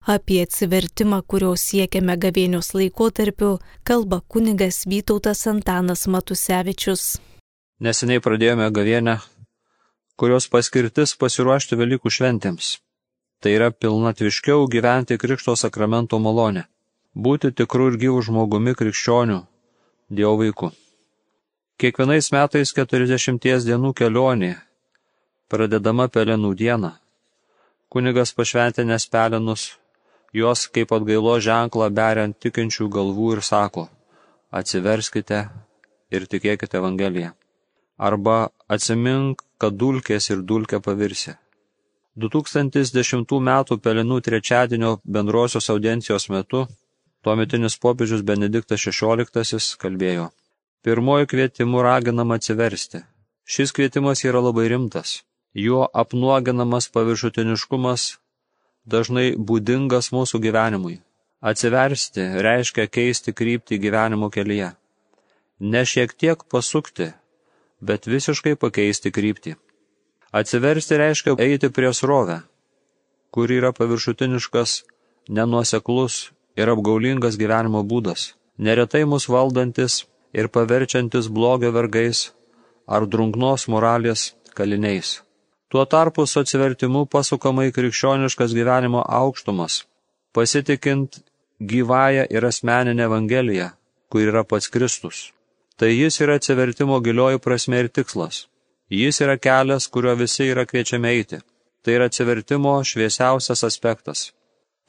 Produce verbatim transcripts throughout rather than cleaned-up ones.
Apie atsivertimą, kurio siekiame gavėnios laikotarpiu, kalba kunigas Vytautas Antanas Matusevičius. Neseniai pradėjome gavėnią, kurios paskirtis pasiruošti Velykų šventėms. Tai yra pilnatviškiau gyventi Krikšto sakramento malonę, būti tikrų ir gyvų žmogumi krikščionių, Dievo vaikų. Kiekvienais metais keturiasdešimties dienų kelionė, pradedama Pelenų dieną, kunigas pašventinęs pelenus, juos kaip atgailo ženklą beria ant tikinčių galvų ir sako: atsiverskite ir tikėkite Evangeliją. Arba atsimink, kad dulkės ir dulkė pavirsi. du tūkstantis dešimtų metų Pelenų trečiadienio bendrosios audiencijos metu tuometinis popiežius Benediktas šešioliktasis kalbėjo: pirmoju kvietimu raginama atsiversti. Šis kvietimas yra labai rimtas. Juo apnuoginamas paviršutiniškumas dažnai būdingas mūsų gyvenimui. Atsiversti reiškia keisti kryptį gyvenimo kelyje. Ne šiek tiek pasukti, bet visiškai pakeisti kryptį. Atsiversti reiškia eiti prie srovę, kur yra paviršutiniškas, nenuoseklus ir apgaulingas gyvenimo būdas, neretai mus valdantis ir paverčiantis blogio vergais ar drungnos moralės kaliniais. Tuo tarpu su atsivertimu pasukama į krikščioniškas gyvenimo aukštumas, pasitikint gyvąją ir asmeninę Evangeliją, kur yra pats Kristus. Tai jis yra atsivertimo gilioji prasmė ir tikslas. Jis yra kelias, kuriuo visi yra kviečiami eiti. Tai yra atsivertimo šviesiausias aspektas.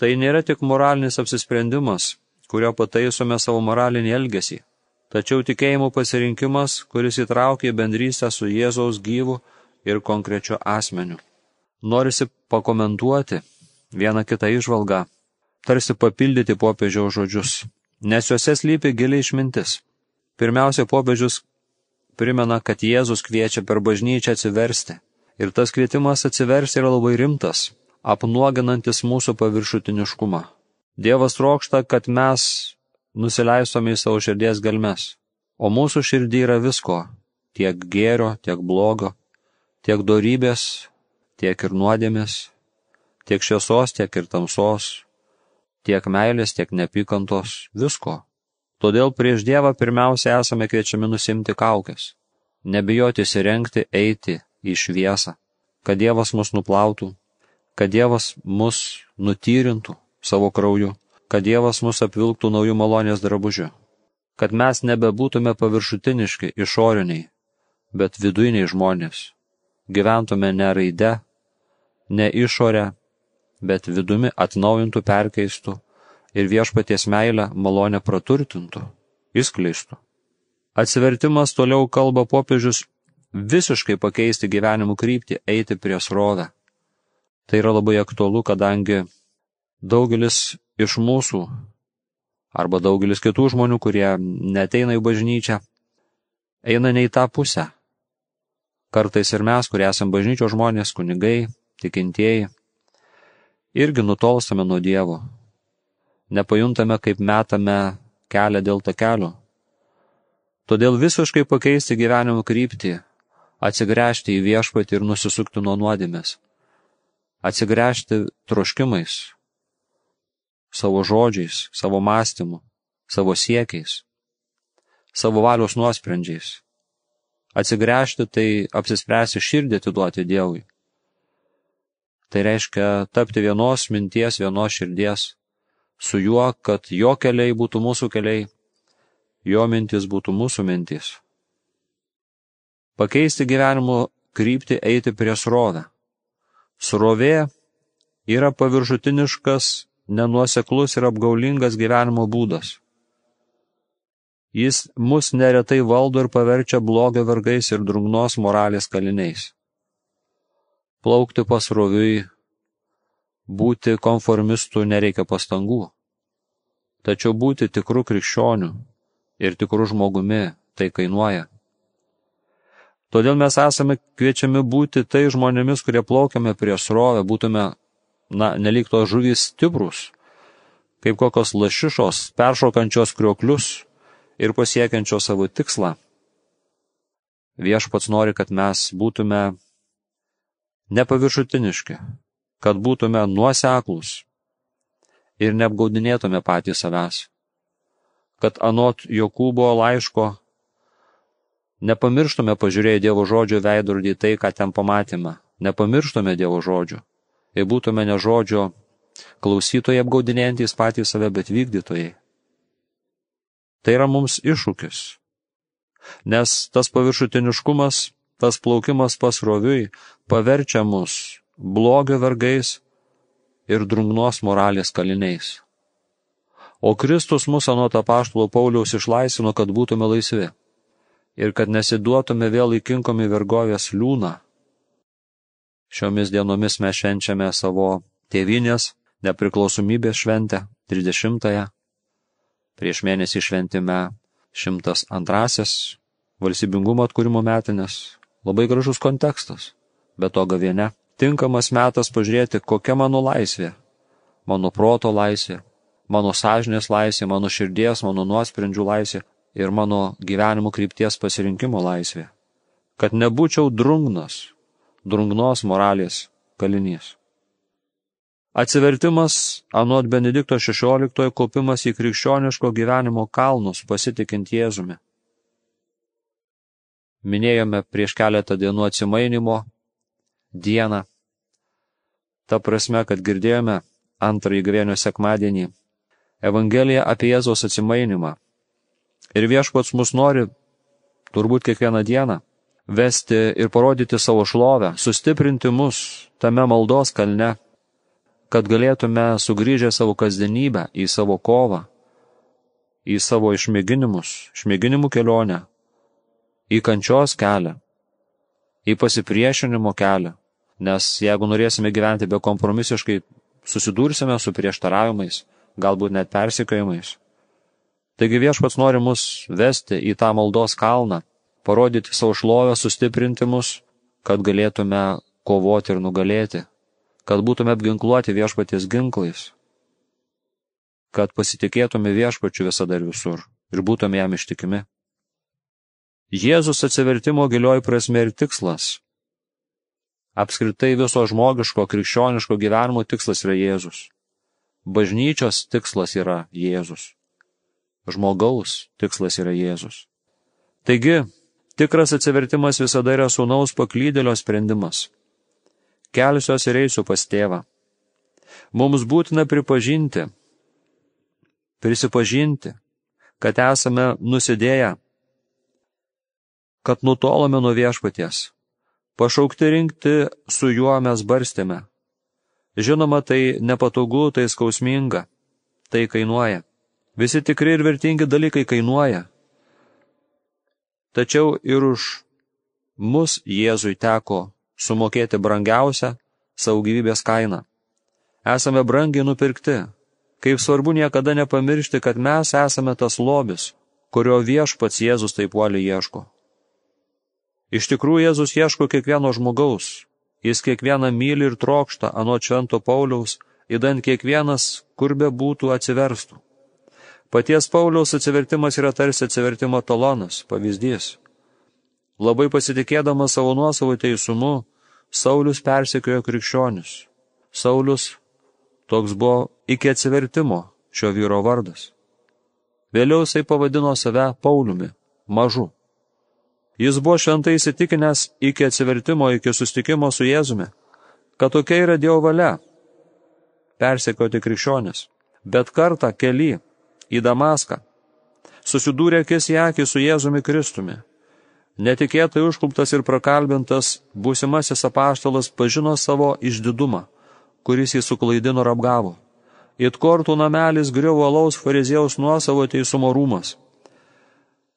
Tai nėra tik moralinis apsisprendimas, kurio pataisome savo moralinį elgesį, tačiau tikėjimo pasirinkimas, kuris įtraukia į bendrystę su Jėzaus gyvu ir konkrečiu asmeniu. Norisi pakomentuoti vieną kitą įžvalgą, tarsi papildyti popiežiaus žodžius, nes juose slypi gili išmintis. Pirmiausia, popiežius primena, kad Jėzus kviečia per bažnyčią atsiversti, ir tas kvietimas atsiversti yra labai rimtas, apnuoginantis mūsų paviršutiniškumą. Dievas trokšta, kad mes nusileistume į savo širdies gelmes, o mūsų širdį yra visko, tiek gėrio, tiek blogo, tiek dorybės, tiek ir nuodėmės, tiek šviesos, tiek ir tamsos, tiek meilės, tiek neapykantos, visko. Todėl prieš Dievą pirmiausia esame kviečiami nusimti kaukes, nebijoti įsirengti, eiti į šviesą, kad Dievas mus nuplautų, kad Dievas mus nutyrintų savo krauju, kad Dievas mus apvilktų naujų malonės drabužiu, kad mes nebebūtume paviršutiniški, išoriniai, bet vidujiniai žmonės, gyventume ne raide, ne išorę, bet vidumi atnaujintų, perkeistų ir viešpaties meilę malonę praturtintų, išskleistų. Atsivertimas, toliau kalba popiežius, visiškai pakeisti gyvenimų kryptį, eiti prie srovę. Tai yra labai aktualu, kadangi daugelis iš mūsų, arba daugelis kitų žmonių, kurie neteina į bažnyčią, eina ne į tą pusę. Kartais ir mes, kurie esame bažnyčios žmonės, kunigai, tikintieji, irgi nutolstame nuo Dievo. Nepajuntame, kaip metame kelią dėl takelio. Todėl visiškai pakeisti gyvenimo kryptį, atsigręžti į viešpatį ir nusisukti nuo nuodėmės. Atsigręžti troškimais, savo žodžiais, savo mąstymu, savo siekiais, savo valios nuosprendžiais. Atsigręžti tai apsispręsti širdį atiduoti Dievui. Tai reiškia tapti vienos minties, vienos širdies su juo, kad jo keliai būtų mūsų keliai, jo mintis būtų mūsų mintis. Pakeisti gyvenimo kryptį, eiti prie srovę. Srovė yra paviršutiniškas, nenuoseklus ir apgaulingas gyvenimo būdas. Jis mus neretai valdo ir paverčia blogio vergais ir drungnos moralės kaliniais. Plaukti pasroviui, būti konformistų nereikia pastangų, tačiau būti tikrų krikščionių ir tikrų žmogumi tai kainuoja. Todėl mes esame kviečiami būti tai žmonėmis, kurie plaukiame prie srovę, būtume, na, nelyg tos žuvys stiprus, kaip kokios lašišos, peršokančios krioklius ir pasiekiančios savo tikslą. Viešpats nori, kad mes būtume nepaviršutiniški, kad būtume nuoseklūs, ir neapgaudinėtume patys savęs. Kad anot Jokūbo laiško nepamirštume pažiūrėję Dievo žodžio veidrodį tai, ką ten pamatėme. Nepamirštume Dievo žodžio ir būtume ne žodžio klausytojai apgaudinėjantys patys save, bet vykdytojai. Tai yra mums iššūkis, nes tas paviršutiniškumas, tas plaukimas pasroviui paverčia mus blogio vergais ir drungnos moralės kaliniais. O Kristus mus anot apaštalo Pauliaus išlaisvino, kad būtume laisvi ir kad nesiduotume vėl įkinkomi vergovės liūną. Šiomis dienomis mes švenčiame savo tėvynės nepriklausomybės šventę, trisdešimtąją. Prieš mėnesį šventime šimtas antrąsias valstybingumo atkūrimo metinės. Labai gražus kontekstas, bet to gavėnia. Tinkamas metas pažiūrėti, kokia mano laisvė, mano proto laisvė, mano sąžinės laisvė, mano širdies, mano nuosprendžių laisvė ir mano gyvenimo krypties pasirinkimo laisvė. Kad nebūčiau drungnas, drungnos moralės kalinys. Atsivertimas anot Benedikto šešioliktojo kopimas į krikščioniško gyvenimo kalnus pasitikint Jėzumi. Minėjome prieš keletą dienų atsimainimo dieną. Ta prasme, kad girdėjome antrąjį gavėnios sekmadienį Evangeliją apie Jėzaus atsimainimą. Ir viešpats mus nori, turbūt kiekvieną dieną, vesti ir parodyti savo šlovę, sustiprinti mus tame maldos kalne, kad galėtume sugrįžę savo kasdienybę į savo kovą, į savo išmėginimus, išmėginimų kelionę, į kančios kelią, į pasipriešinimo kelią, nes jeigu norėsime gyventi bekompromisiškai, susidursime su prieštaravimais, galbūt net persekiojimais. Taigi viešpats nori mus vesti į tą maldos kalną, parodyti savo šlovę, sustiprinti mus, kad galėtume kovoti ir nugalėti, kad būtume apginkluoti viešpaties ginklais, kad pasitikėtume viešpačiu visada ir visur ir būtume jam ištikimi. Jėzus atsivertimo gilioji prasmė ir tikslas. Apskritai viso žmogiško, krikščioniško gyvenimo tikslas yra Jėzus. Bažnyčios tikslas yra Jėzus. Žmogaus tikslas yra Jėzus. Taigi, tikras atsivertimas visada yra sūnaus paklydėlio sprendimas. Kelsiuos ir eisiu pas tėvą. Mums būtina pripažinti, prisipažinti, kad esame nusidėję, kad nutolome nuo viešpaties. Pašaukti rinkti su juo mes barstėme. Žinoma, tai nepatogu, tai skausminga, tai kainuoja. Visi tikri ir vertingi dalykai kainuoja. Tačiau ir už mus Jėzui teko sumokėti brangiausią savo gyvybės kainą. Esame brangiai nupirkti. Kaip svarbu niekada nepamiršti, kad mes esame tas lobis, kurio viešpats Jėzus taip uoliai ieško. Iš tikrųjų, Jėzus ieško kiekvieno žmogaus. Jis kiekvieną myli ir trokšta, anot švento Pauliaus, idant kiekvienas, kur be būtų, atsiverstų. Paties Pauliaus atsivertimas yra tarsi atsivertimo talonas, pavyzdys. Labai pasitikėdamas savo nuosavo teisumu, Saulius persekiojo krikščionius. Saulius toks buvo iki atsivertimo šio vyro vardas. Vėliau jisai pavadino save Pauliumi, mažu. Jis buvo šventai įsitikinęs iki atsivertimo, iki susitikimo su Jėzumi, kad tokia yra Dievo valia persekioti krikščionis. Bet kartą kely į Damaską susidūrė akis į akį su Jėzumi Kristumi. Netikėtai užkluptas ir prakalbintas būsimasis apaštalas pažino savo išdidumą, kuris jį suklaidino ir apgavo. It kortų namelis griuvo alaus fariziejaus nuosavo teisumo rūmas.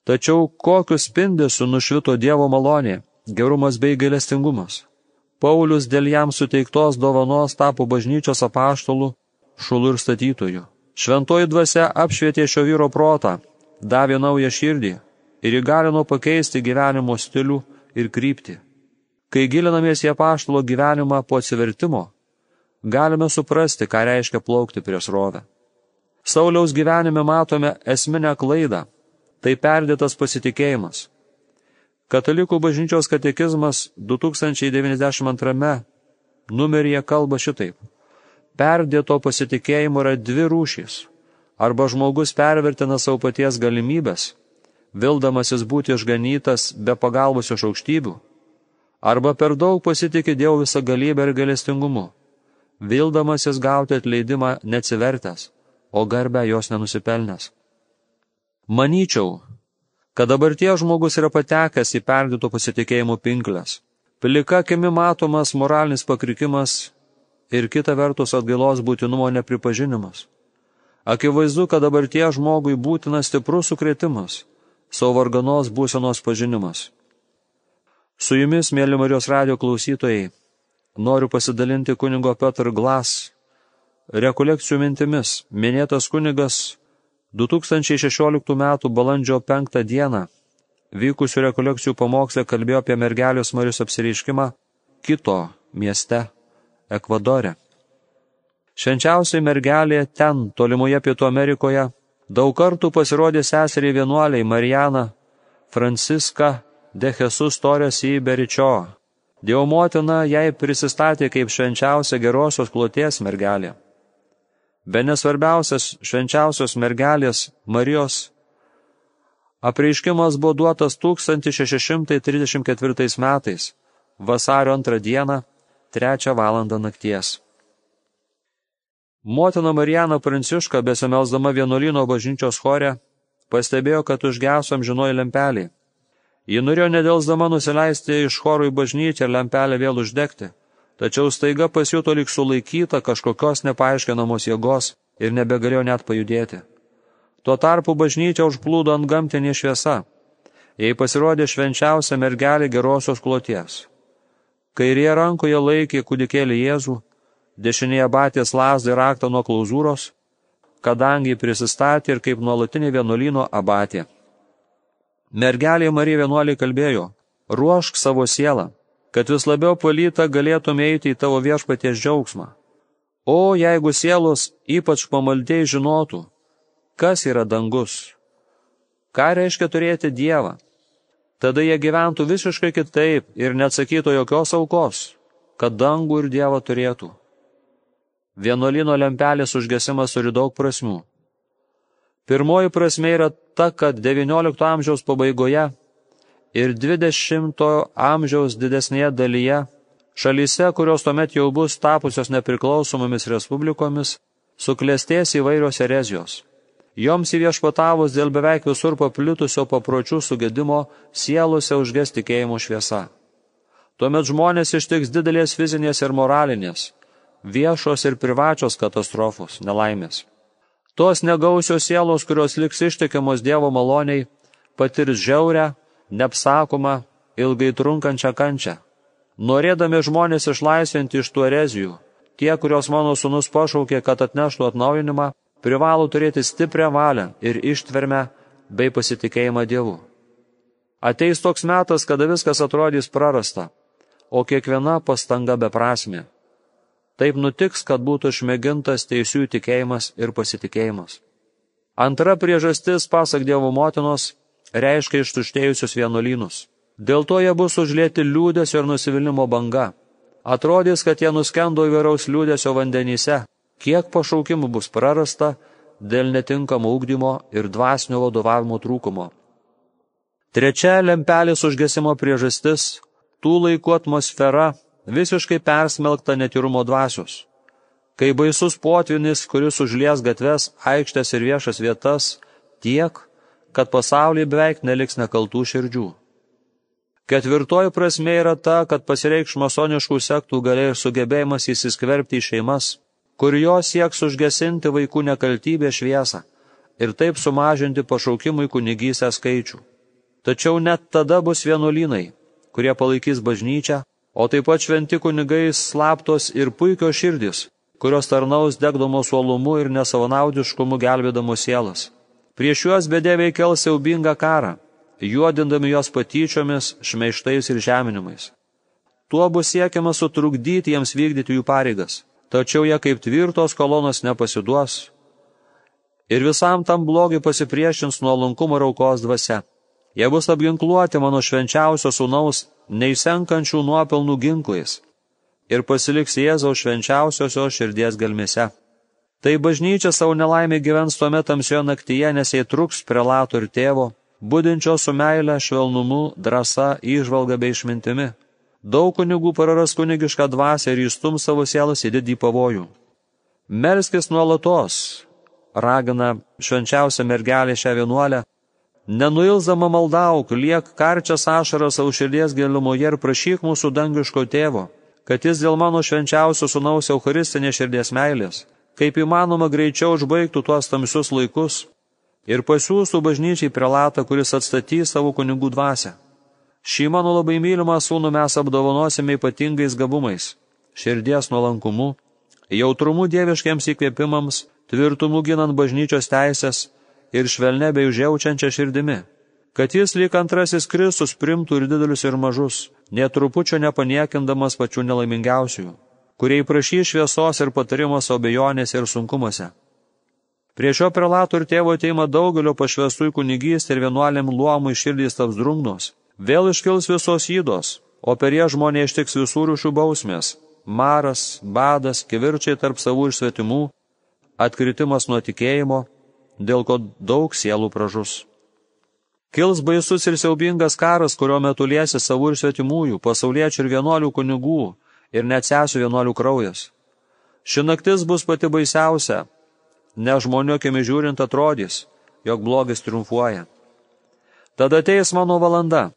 Tačiau kokius spindesiu nušvito Dievo malonė, gerumas bei gailestingumas. Paulius dėl jam suteiktos dovanos tapo bažnyčios apaštalų, šulų ir statytojų. Šventoji dvasia apšvietė šio vyro protą, davė naują širdį ir įgalino pakeisti gyvenimo stilių ir kryptį. Kai gilinamės į apaštalo gyvenimą po atsivertimo, galime suprasti, ką reiškia plaukti prieš srovę. Sauliaus gyvenime matome esminę klaidą. Tai perdėtas pasitikėjimas. Katalikų bažnyčios katekizmas du tūkstančiai devyniasdešimt antrame numeryje kalba šitaip. Perdėto pasitikėjimo yra dvi rūšys. Arba žmogus pervertina savo paties galimybės, vildamasis būti išganytas be pagalbos iš aukštybių, arba per daug pasitikė Dievo visagalybę ir gailestingumu, vildamasis gauti atleidimą neatsivertęs, o garbę jos nenusipelnęs. Manyčiau, kad dabarties žmogus yra patekęs į perdėto pasitikėjimo pinkles. Plika akimi matomas moralinis pakrikimas ir kita vertus atgailos būtinumo nepripažinimas. Akivaizdu, kad dabarties žmogui būtinas stiprus sukrėtimas, savo varganos būsenos pažinimas. Su jumis, mėly Marijos radijo klausytojai, noriu pasidalinti kunigo Peter Glass rekolekcijų mintimis. Minėtas kunigas du tūkstančiai šešioliktų metų balandžio penktą dieną vykusių rekolekcijų pamoksle kalbėjo apie mergelės Marijos apsireiškimą Kito mieste, Ekvadore. Švenčiausiai mergelė ten, tolimoje Pietų Amerikoje, daug kartų pasirodė seseriai vienuoliai Mariana Francisca de Jesus Torres y Bericho. Dievo motina jai prisistatė kaip švenčiausia gerosios kloties mergelė. Bene svarbiausias švenčiausios mergelės Marijos apreiškimas buvo duotas tūkstantis šeši šimtai trisdešimt ketvirtais metais, vasario antrą dieną, trečią valandą nakties. Motina Marijana Pranciška, besimelsdama vienuolyno bažnyčios chore, pastebėjo, kad užgeso amžinoji lempelė. Ji norėjo nedelsdama nusileisti iš choro į bažnyčią ir lempelę vėl uždegti, tačiau staiga pasijuto lyg sulaikyta kažkokios nepaaiškinamos jėgos ir nebegalėjo net pajudėti. Tuo tarpu bažnyčia užplūdo antgamtinė šviesa. Jai pasirodė švenčiausia mergelė gerosios kloties. Kairėje rankoje laikė kūdikėlį Jėzų, dešinėje batės lazdą ir raktą nuo klauzūros, kadangi prisistatė ir kaip nuolatinė vienuolyno abatė. Mergelė Marija vienuoliai kalbėjo: ruošk savo sielą, kad vis labiau palyta galėtum eiti į tavo viešpaties džiaugsmą. O jeigu sielos ypač pamaldžiai žinotų, kas yra dangus, ką reiškia turėti Dievą, tada jie gyventų visiškai kitaip ir neatsakytų jokios aukos, kad dangų ir Dievą turėtų. Vienuolyno lempelės užgesimas turi daug prasmių. Pirmoji prasmė yra ta, kad devyniolikto amžiaus pabaigoje ir dvidešimtojo amžiaus didesnėje dalyje šalyse, kurios tuomet jau bus tapusios nepriklausomomis respublikomis, suklestės įvairios erezijos. Joms įviešpatavus dėl beveik visur paplitusio papročių sugedimo sielose užges tikėjimo šviesa. Tuomet žmonės ištiks didelės fizinės ir moralinės, viešos ir privačios katastrofos, nelaimės. Tos negausios sielos, kurios liks ištikimos Dievo maloniai, patirs žiaurę, neapsakomą, ilgai trunkančią kančią. Norėdami žmonės išlaisvinti iš tų erezijų, tie, kurios mano sūnus pašaukė, kad atneštų atnaujinimą, privalo turėti stiprią valią ir ištvermę bei pasitikėjimą Dievu. Ateis toks metas, kada viskas atrodys prarasta, o kiekviena pastanga beprasmė. Taip nutiks, kad būtų išmėgintas teisiųjų tikėjimas ir pasitikėjimas. Antra priežastis, pasak Dievo motinos, reiškia ištuštėjusius vienuolynus. Dėl to jie bus užlieti liūdesio ir nusivylimmo banga. Atrodys, kad jie nuskendo įvairaus liūdesio vandenyse, kiek pašaukimų bus prarasta dėl netinkamo ugdymo ir dvasinio vadovavimo trūkumo. Trečia lempelės užgesimo priežastis – tų laikų atmosfera visiškai persmelkta netyrumo dvasios. Kai baisus potvynis, kuris užlies gatves, aikštės ir viešas vietas, tiek, kad pasaulyje beveik neliks nekaltų širdžių. Ketvirtoji prasmė yra ta, kad pasireikš masoniškų sektų galia ir sugebėjimas įsiskverbti į šeimas, kur jos sieks užgesinti vaikų nekaltybę šviesą ir taip sumažinti pašaukimui kunigystę skaičių. Tačiau net tada bus vienuolynai, kurie palaikys bažnyčią, o taip pat šventi kunigai slaptos ir puikios širdys, kurios tarnaus degdamos uolumu ir nesavanaudiškumu gelbėdamos sielas. Prieš juos bedieviai kels siaubingą karą, juodindami juos patyčiomis, šmeižtais ir žeminimais. Tuo bus siekiama sutrukdyti jiems vykdyti jų pareigas, tačiau jie kaip tvirtos kolonos nepasiduos ir visam tam blogiui pasipriešins nuolankumo ir aukos dvasia. Jie bus apginkluoti mano švenčiausio sūnaus neišsenkančių nuopelnų ginklais. ir pasiliks Jėzaus švenčiausiosios širdies gelmėse. Tai bažnyčia savo nelaimė gyvens tuomet tamsioje naktyje, nes jai truks prelato ir tėvo, budinčio su meile, švelnumu, drąsa, įžvalga bei išmintimi. Daug kunigų praras kunigišką dvasią ir įstum savo sielas į didį pavojų. Melskis nuolatos, ragina švenčiausia mergelė šią vienuolę, nenuilzama maldauk, liek karčias ašaras savo širdies gilumoje ir prašyk mūsų dangiško tėvo, kad jis dėl mano švenčiausio sūnaus eucharistinės širdies meilės, kaip įmanoma greičiau užbaigtų tuos tamsius laikus ir pasiųstų bažnyčiai prelatą, kuris atstatys savo kunigų dvasią. Šį mano labai mylimą sūnų mes apdovanosime ypatingais gabumais, širdies nuolankumu, jautrumu dieviškiams įkvėpimams, tvirtumu ginant bažnyčios teisės ir švelne bei užjaučiančia širdimi, kad jis lyg antrasis Kristus primtų ir didelius ir mažus, netrupučio nepaniekindamas pačių nelaimingiausiųjų, kurie prašys šviesos ir patarimos abejonėse ir sunkumuose. Prie šio prelato ir tėvo ateima daugelio pašvęstų į kunigystę ir vienuolėm luomų širdys taps drungnos. Vėl iškils visos ydos, o per ją žmonė ištiks visų rūšių bausmės, maras, badas, kivirčiai tarp savų ir svetimų, atkritimas nuo tikėjimo, dėl ko daug sielų pražus. Kils baisus ir siaubingas karas, kurio metu liesi savų ir svetimųjų, pasauliečių ir vienuolių kunigų ir net sesių vienuolių kraujas. Ši naktis bus pati baisiausia, ne žmonių akimis žiūrint atrodys, jog blogis triumfuoja. Tada ateis mano valanda,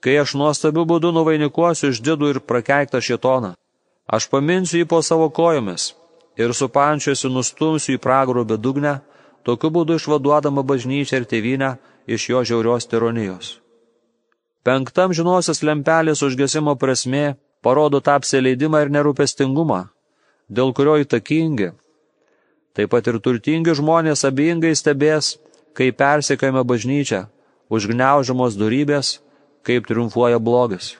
kai aš nuostabiu būdu nuvainikuosiu išdidų ir prakeiktą šėtoną. Aš paminsiu jį po savo kojomis ir supančiosiu nustumsiu į pragaro bedugnę, tokiu būdu išvaduodama bažnyčią ir tėvynę iš jo žiaurios tironijos. Penktam žinosios lempelės užgesimo prasmė parodo tą apsileidimą ir nerūpestingumą, dėl kurio įtakingi, taip pat ir turtingi žmonės abejingai stebės, kaip persekiojama bažnyčia, užgniaužiamos dorybės, kaip triumfuoja blogis,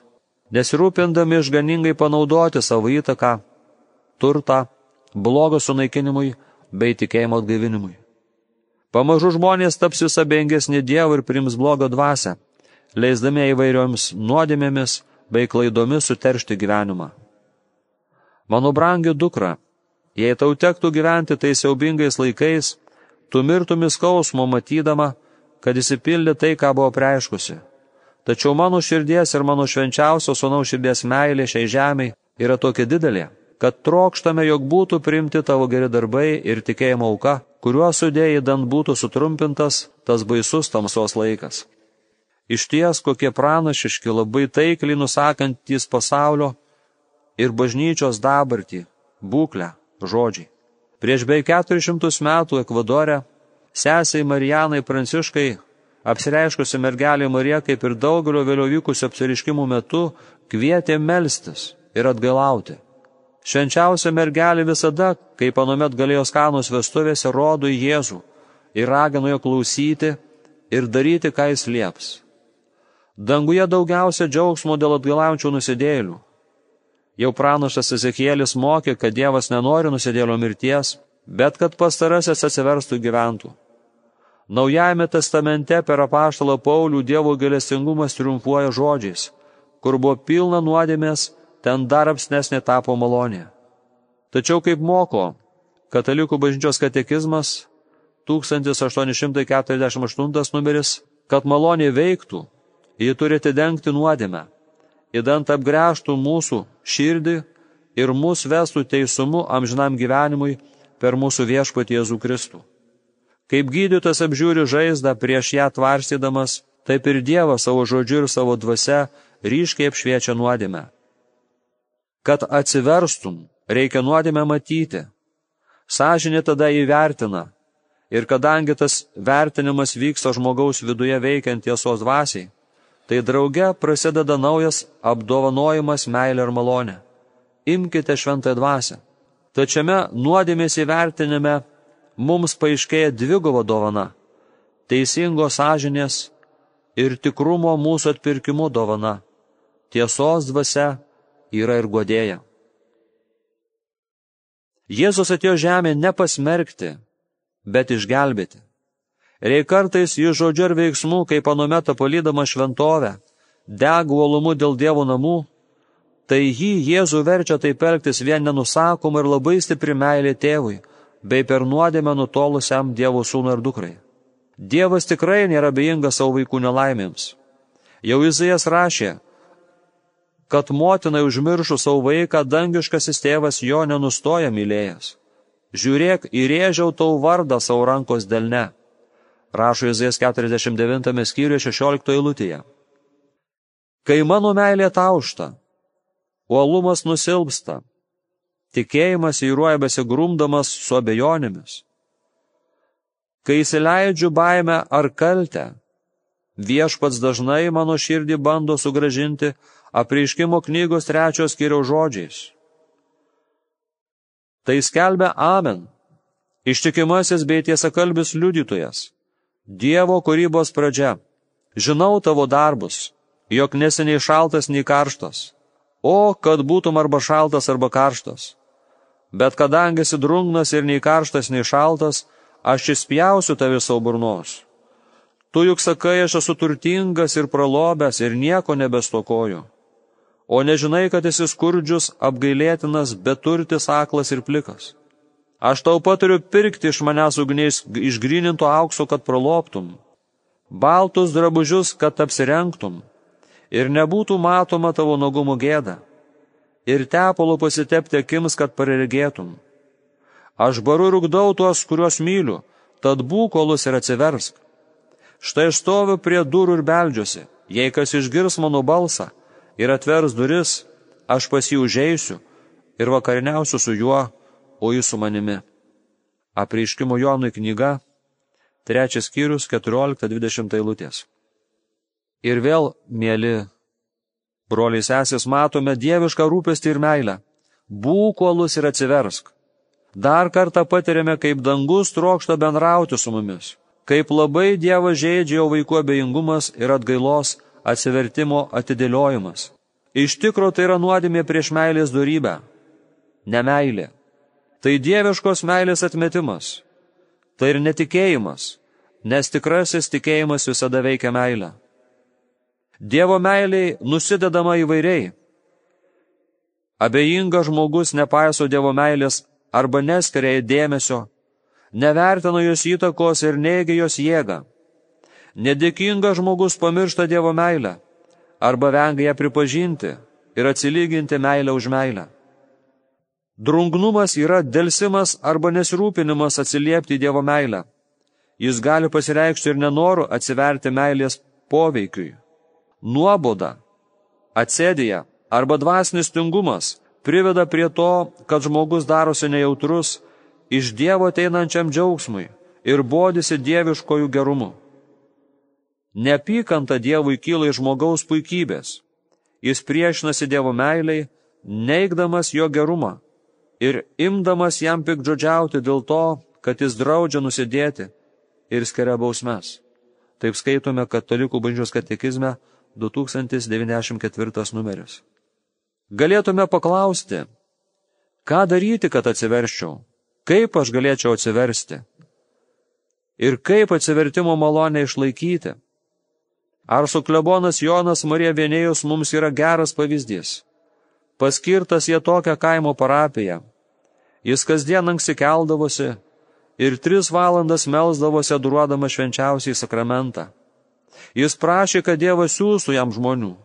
nesirūpindami išganingai panaudoti savo įtaką, turtą, blogo sunaikinimui bei tikėjimo atgaivinimui. Pamažu žmonės taps vis abejingesni Dievui ir priims blogo dvasią, leisdami įvairioms nuodėmėmis bei klaidomis suteršti gyvenimą. Mano brangi dukra, jei tau tektų gyventi tais siaubingais laikais, tu mirtumi skausmo matydama, kad įsipildė tai, ką buvo preiškusi. Tačiau mano širdies ir mano švenčiausio sūnaus širdies meilė šiai žemei yra tokia didelė, kad trokštame, jog būtų priimti tavo geri darbai ir tikėjimo auka, kuriuo sudėjai dan būtų sutrumpintas tas baisus tamsos laikas. Išties, kokie pranašiški, labai taikliai nusakantys pasaulio ir bažnyčios dabartį, būklę, žodžiai. Prieš beveik keturis šimtus metų Ekvadore sesei Marijanai Pranciškai, apsireiškusi mergelė Marija, kaip ir daugelio vėliau vykusių apsireiškimų metu, kvietė melstis ir atgailauti. Švenčiausia mergelė visada, kaip anuomet Galilėjos Kanos vestuvėse, rodo į Jėzų ir ragino jo klausyti ir daryti, ką jis lieps. Danguje daugiausia džiaugsmo dėl atgailaujančių nusidėjėlių. Jau pranašas Ezekielis mokė, kad Dievas nenori nusidėjėlio mirties, bet kad pastarasis atsiverstų gyventų. Naujajame testamente per apaštalą Paulių Dievo gailestingumas triumfuoja žodžiais, kur buvo pilna nuodėmės, ten dar apsnesnė tapo malonė. Tačiau kaip moko Katalikų bažnyčios katekizmas, tūkstantis aštuoni šimtai keturiasdešimt aštuntas numeris, kad malonė veiktų, ji turi atidengti nuodėmę, idant apgręžtų mūsų širdį ir mus vestų teisumu amžinam gyvenimui per mūsų viešpatį Jėzų Kristų. Kaip gydytojas apžiūri žaizdą prieš ją tvarstydamas, taip ir Dievas savo žodžiu ir savo dvasia ryškiai apšviečia nuodėmę. Kad atsiverstum, reikia nuodėmę matyti. Sąžinė tada įvertina, ir kadangi tas vertinimas vyksta žmogaus viduje veikiant tiesos dvasiai, tai drauge prasideda naujas apdovanojimas meilė ir malonė. Imkite šventąją dvasią. Tačiame nuodėmės įvertinime mums paaiškėja dviguba dovana – teisingos sąžinės ir tikrumo mūsų atpirkimo dovana. Tiesos dvasia yra ir guodėja. Jėzus atėjo žemė nepasmerkti, bet išgelbėti. Reik kartais jis žodžiu ir veiksmu, kaip anuomet palydama šventovę, dega uolumu dėl Dievo namų, Tai jį Jėzų verčia taip elgtis vien nenusakoma ir labai stipri meilė tėvui, bei per nuodėmę nutolusiam Dievo sūnui ir dukrai. Dievas tikrai nėra abejingas savo vaikų nelaimėms. Jau Izaijas rašė, kad motinai užmiršų savo vaiką, dangiškasis tėvas jo nenustoja mylėjęs. Žiūrėk, įrėžiau tau vardą savo rankos delne. Rašo Izaijas keturiasdešimt devintame skyriuje šešioliktoje eilutėje. Kai mano meilė taušta, uolumas nusilpsta, tikėjimas įruoja besigrumdamas su abejonėmis. Kai įsileidžiu baimę ar kaltę, viešpats dažnai mano širdį bando sugrąžinti Apreiškimo knygos trečios skyriaus žodžiais. Tai skelbia Amen, ištikimasis bei tiesakalbis liudytojas, Dievo kūrybos pradžia. Žinau tavo darbus, jog nesi nei šaltas, nei karštas. O, kad būtum arba šaltas, arba karštas. Bet kadangi esi drungnas ir nei karštas, nei šaltas, aš išspjausiu tave savo burnos. Tu juk sakai, aš esu turtingas ir pralobęs ir nieko nebestokoju. O nežinai, kad esi skurdžius, apgailėtinas, beturtis, aklas ir plikas. Aš tau patariu pirkti iš manęs ugniais išgryninto aukso, kad praloptum, baltus drabužius, kad apsirengtum, ir nebūtų matoma tavo nuogumo gėda, ir tepalo pasitepti akims, kad paregėtum. Aš baru ir ugdau tuos, kuriuos myliu, tad būk uolus ir atsiversk. Štai aš stoviu prie durų ir beldžiuosi, jei kas išgirs mano balsą ir atvers duris, aš pas jį užeisiu ir vakariniausiu su juo, o jis su manimi. Apreiškimo Jonui knyga, trečias skyrius, keturiolikta dvidešimt eilutės. Ir vėl, mėly broliai sesės, matome dievišką rūpestį ir meilę. Būk uolus ir atsiversk. Dar kartą patiriame, kaip dangus trokšta bendrauti su mumis, kaip labai Dievą žeidžia jo vaikų abejingumas ir atgailos atsivertimo atidėliojimas. Iš tikro tai yra nuodėmė prieš meilės dorybę, nemeilė. Tai dieviškos meilės atmetimas, tai ir netikėjimas, nes tikrasis tikėjimas visada veikia meilę. Dievo meiliai nusidedama įvairiai. Abejingas žmogus nepaiso Dievo meilės arba neskiria dėmesio, nevertina jos įtakos ir neigia jos jėgą. Nedėkingas žmogus pamiršta Dievo meilę arba vengia ją pripažinti ir atsilyginti meilę už meilę. Drungnumas yra delsimas arba nesirūpinimas atsiliepti Dievo meilę. Jis gali pasireikšti ir nenoru atsiverti meilės poveikiui. Nuoboda, atsėdėja arba dvasinis tingumas priveda prie to, kad žmogus darosi nejautrus iš Dievo ateinančiam džiaugsmui ir bodisi dieviškojų gerumu. Neapykanta Dievui kyla iš žmogaus puikybės. Jis priešinasi Dievo meiliai, neigdamas jo gerumą ir imdamas jam piktžodžiauti dėl to, kad jis draudžia nusidėti ir skiria bausmes. Taip skaitome Katalikų bažnyčios katekizme du tūkstantis devyniasdešimt ketvirtas numeris. Galėtume paklausti, ką daryti, kad atsiverščiau, kaip aš galėčiau atsiversti ir kaip atsivertimo malonę išlaikyti. Ar suklebonas Jonas Marija Vienėjus mums yra geras pavyzdys? Paskirtas jie tokią kaimo parapiją. Jis kasdien anksti keldavosi ir tris valandas melsdavosi adoruodama švenčiausiai sakramentą. Jis prašė, kad Dievas siųstų jam žmonių.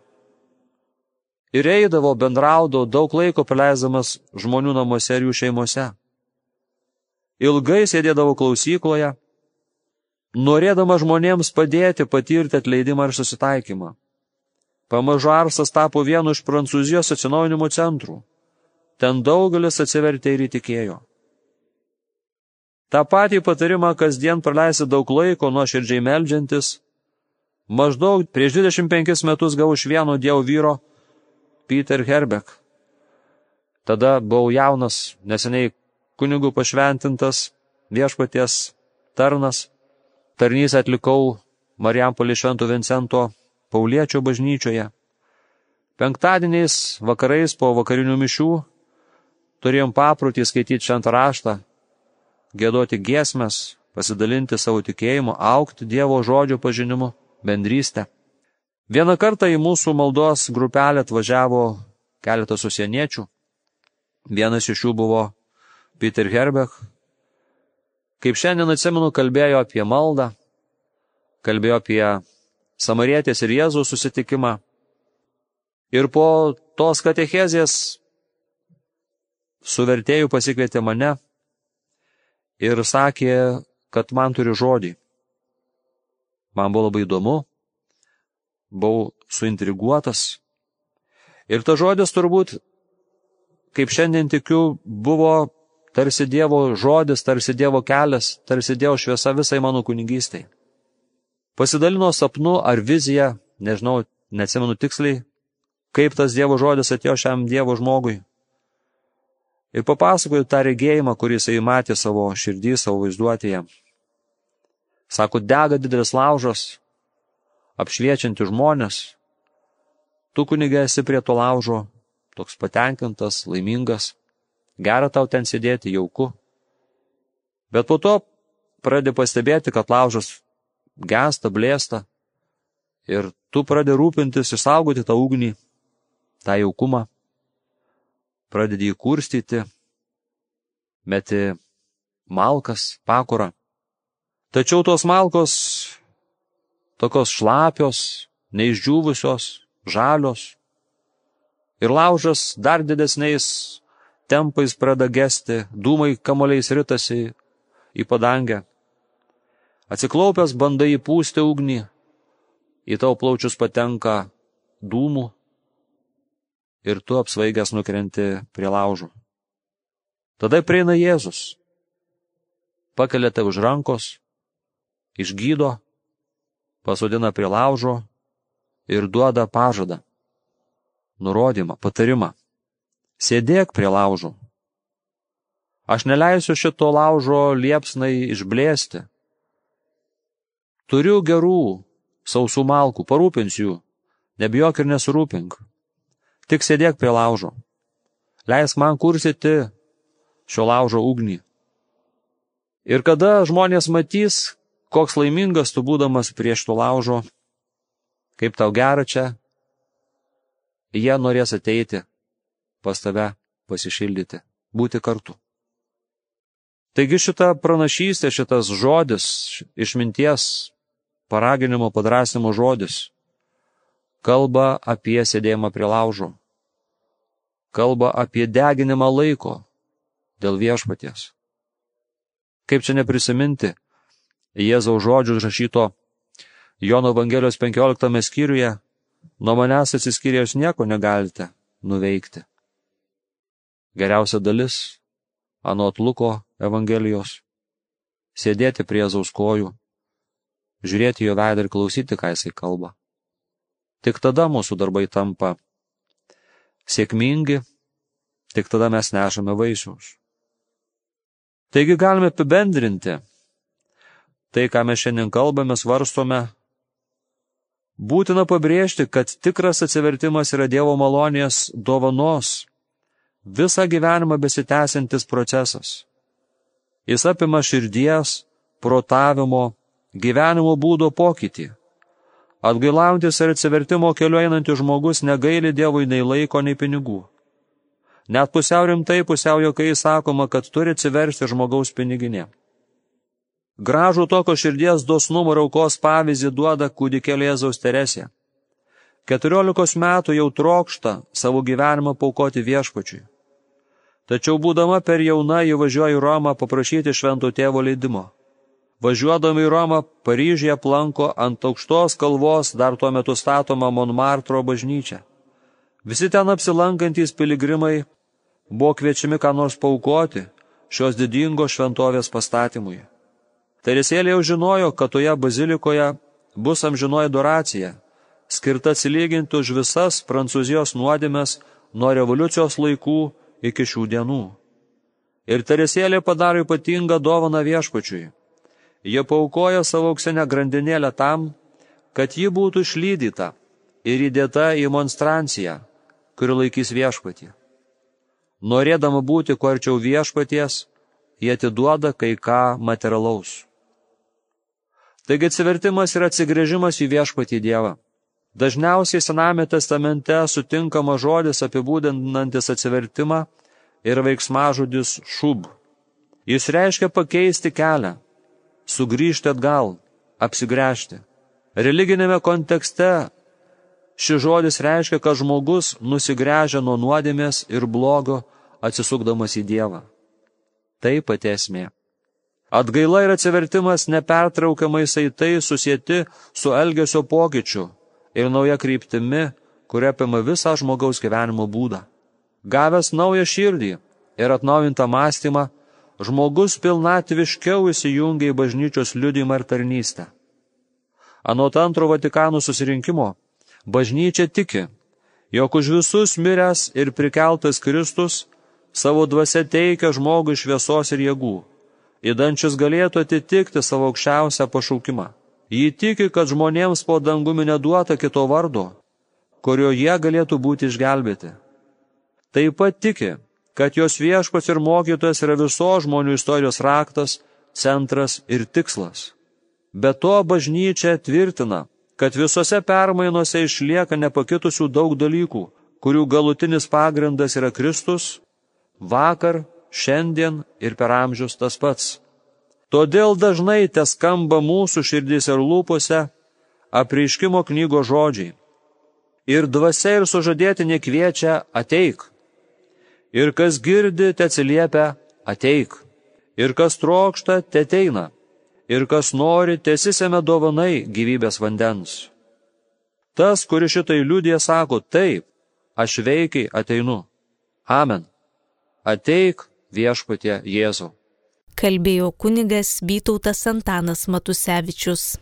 Ir eidavo, bendraudavo, daug laiko praleisdamas žmonių namuose ir jų šeimose. Ilgai sėdėdavo klausykloje, norėdama žmonėms padėti patirti atleidimą ir susitaikymą. Pamažu Arsas tapo vienu iš Prancūzijos atsinaujinimo centrų. Ten daugelis atsivertė ir įtikėjo. Ta patį patarimą kasdien praleisti daug laiko nuoširdžiai meldžiantis, maždaug prieš dvidešimt penkis metus gavau iš vieno Dievo vyro Peter Herbeck. Tada buvau jaunas, neseniai kunigų pašventintas, viešpaties tarnas. Tarnystę atlikau Marijampolės Švento Vincento Pauliečio bažnyčioje. Penktadieniais vakarais po vakarinių mišių turėjom paprotį skaityti šventą raštą, giedoti giesmes, pasidalinti savo tikėjimu, augti Dievo žodžio pažinimu, bendrystę. Vieną kartą į mūsų maldos grupelę atvažiavo keletas užsieniečių. Vienas iš jų buvo Peter Herbech. Kaip šiandien atsimenu, kalbėjo apie maldą, kalbėjo apie Samarietės ir Jėzaus susitikimą. Ir po tos katechezės su vertėju pasikvietė mane ir sakė, kad man turi žodį. Man buvo labai įdomu, buvau suintriguotas. Ir ta žodis turbūt, kaip šiandien tikiu, buvo tarsi Dievo žodis, tarsi Dievo kelias, tarsi Dievo šviesa visai mano kunigystei. Pasidalino sapnu ar vizija, nežinau, neatsimenu tiksliai, kaip tas Dievo žodis atėjo šiam Dievo žmogui. Ir papasakoju tą regėjimą, kurį jisai matė savo širdį, savo vaizduotėje. Sako, dega didelis laužas, apšviečianti žmonės. Tu, kunige, esi prie to laužo, toks patenkintas, laimingas, gera tau ten sėdėti, jauku. Bet po to pradedi pastebėti, kad laužas gęsta, blėsta, ir tu pradedi rūpintis išsaugoti tą ugnį, tą jaukumą, pradedi jį kurstyti, meti malkas, pakurą. Tačiau tos malkos tokios šlapios, neišdžiūvusios, žalios, ir laužas dar didesniais tempais pradeda gesti, dūmai kamuoliais ritasi į padangę. Atsiklaupęs bandai įpūsti ugnį, į tavo plaučius patenka dūmų ir tu apsvaigęs nukrenti prie laužo. Tada prieina Jėzus, pakelia tave už rankos, išgydo, pasodina prie laužo ir duoda pažadą, nurodymą, patarimą. Sėdėk prie laužo. Aš neleisiu šito laužo liepsnai išblėsti. Turiu gerų, sausų malkų, parūpinsiu jų, nebijok ir nesurūpink. Tik sėdėk prie laužo. Leisk man kursyti šio laužo ugnį. Ir kada žmonės matys, koks laimingas tu būdamas prieš to laužo, kaip tau gera čia, jie norės ateiti pas tave pasišildyti, būti kartu. Taigi šita pranašystė, šitas žodis, išminties, paraginimo, padrasnimo žodis, kalba apie sėdėjimą prie laužo, kalba apie deginimą laiko dėl viešpaties. Kaip čia neprisiminti Jėzaus žodžių užrašyto Jono Evangelijos penkioliktame skyriuje, nuo manęs atsiskyrėjus nieko negalite nuveikti. Geriausia dalis, anot Luko Evangelijos, sėdėti prie Jėzaus kojų, žiūrėti jo veidą ir klausyti, ką jisai kalba. Tik tada mūsų darbai tampa sėkmingi, tik tada mes nešame vaisius. Taigi galime apibendrinti tai, ką mes šiandien kalbame, svarstome. Būtina pabrėžti, kad tikras atsivertimas yra Dievo malonės dovanos, visą gyvenimą besitęsiantis procesas. Jis apima širdies, protavimo, gyvenimo būdo pokytį. Atgailaujantis ir atsivertimo keliu einantis žmogus negaili Dievui nei laiko, nei pinigų. Net pusiau rimtai, pusiau juokais sakoma, kad turi atsiversti žmogaus piniginė. Gražų tokio širdies dosnumo ir aukos pavyzdį duoda kūdikėlė Jėzaus Teresė. Keturiolikos metų jau trokšta savo gyvenimą paaukoti viešpačiui. Tačiau būdama per jauna ji važiuoja į Romą paprašyti švento tėvo leidimo. Važiuodama į Romą, Paryžiuje aplanko ant aukštos kalvos dar tuo metu statoma Monmartro bažnyčia. Visi ten apsilankantys piligrimai buvo kviečiami ką nors paaukoti šios didingos šventovės pastatymui. Teresėlė jau žinojo, kad toje bazilikoje bus amžinoji adoracija, skirta atsilyginti už visas Prancūzijos nuodėmes nuo revoliucijos laikų iki šių dienų. Ir Teresėlė padaro ypatingą dovaną viešpačiui. Jie paaukoja savo auksinę grandinėlę tam, kad ji būtų išlydyta ir įdėta į monstranciją, kuri laikys viešpatį. Norėdama būti kuo arčiau viešpaties, jie atiduoda kai ką materialaus. Taigi atsivertimas yra atsigręžimas į viešpatį Dievą. Dažniausiai Sename testamente sutinkama žodis apibūdinantis atsivertimą ir veiksmažodis šub. Jis reiškia pakeisti kelią, sugrįžti atgal, apsigręžti. Religinėme kontekste šis žodis reiškia, kad žmogus nusigręžia nuo nuodėmės ir blogo, atsisukdamas į Dievą. Tai pati esmė. Atgaila ir atsivertimas nepertraukiamai saitai susieti su elgesio pokyčiu ir nauja kryptimi, kuria apima visą žmogaus gyvenimo būdą. Gavęs naują širdį ir atnaujintą mąstymą, žmogus pilnatviškiau įsijungia į bažnyčios liudijimą ir tarnystę. Anot antro Vatikano susirinkimo, bažnyčia tiki, jog už visus miręs ir prikeltas Kristus savo dvasia teikia žmogui šviesos ir jėgų, įdančius galėtų atitikti savo aukščiausią pašaukimą. Ji tiki, kad žmonėms po dangumi neduota kito vardo, kurio jie galėtų būti išgelbėti. Taip pat tiki, kad jos viešpats ir mokytojas yra visos žmonių istorijos raktas, centras ir tikslas. Be to bažnyčia tvirtina, kad visose permainose išlieka nepakitusių daug dalykų, kurių galutinis pagrindas yra Kristus, vakar, šiandien ir per amžius tas pats. Todėl dažnai teskamba mūsų širdys ir lūpose apreiškimo knygos žodžiai. Ir dvasia ir sužadėtinė kviečia ateik. Ir kas girdi, te atsiliepia ateik. Ir kas trokšta, te ateina. Ir kas nori, tesisėme dovanai gyvybės vandens. Tas, kuris šitai liudija, sako taip, aš veikiai ateinu. Amen. Ateik viešpatie Jėzau. Kalbėjo kunigas Vytautas Antanas Matusevičius.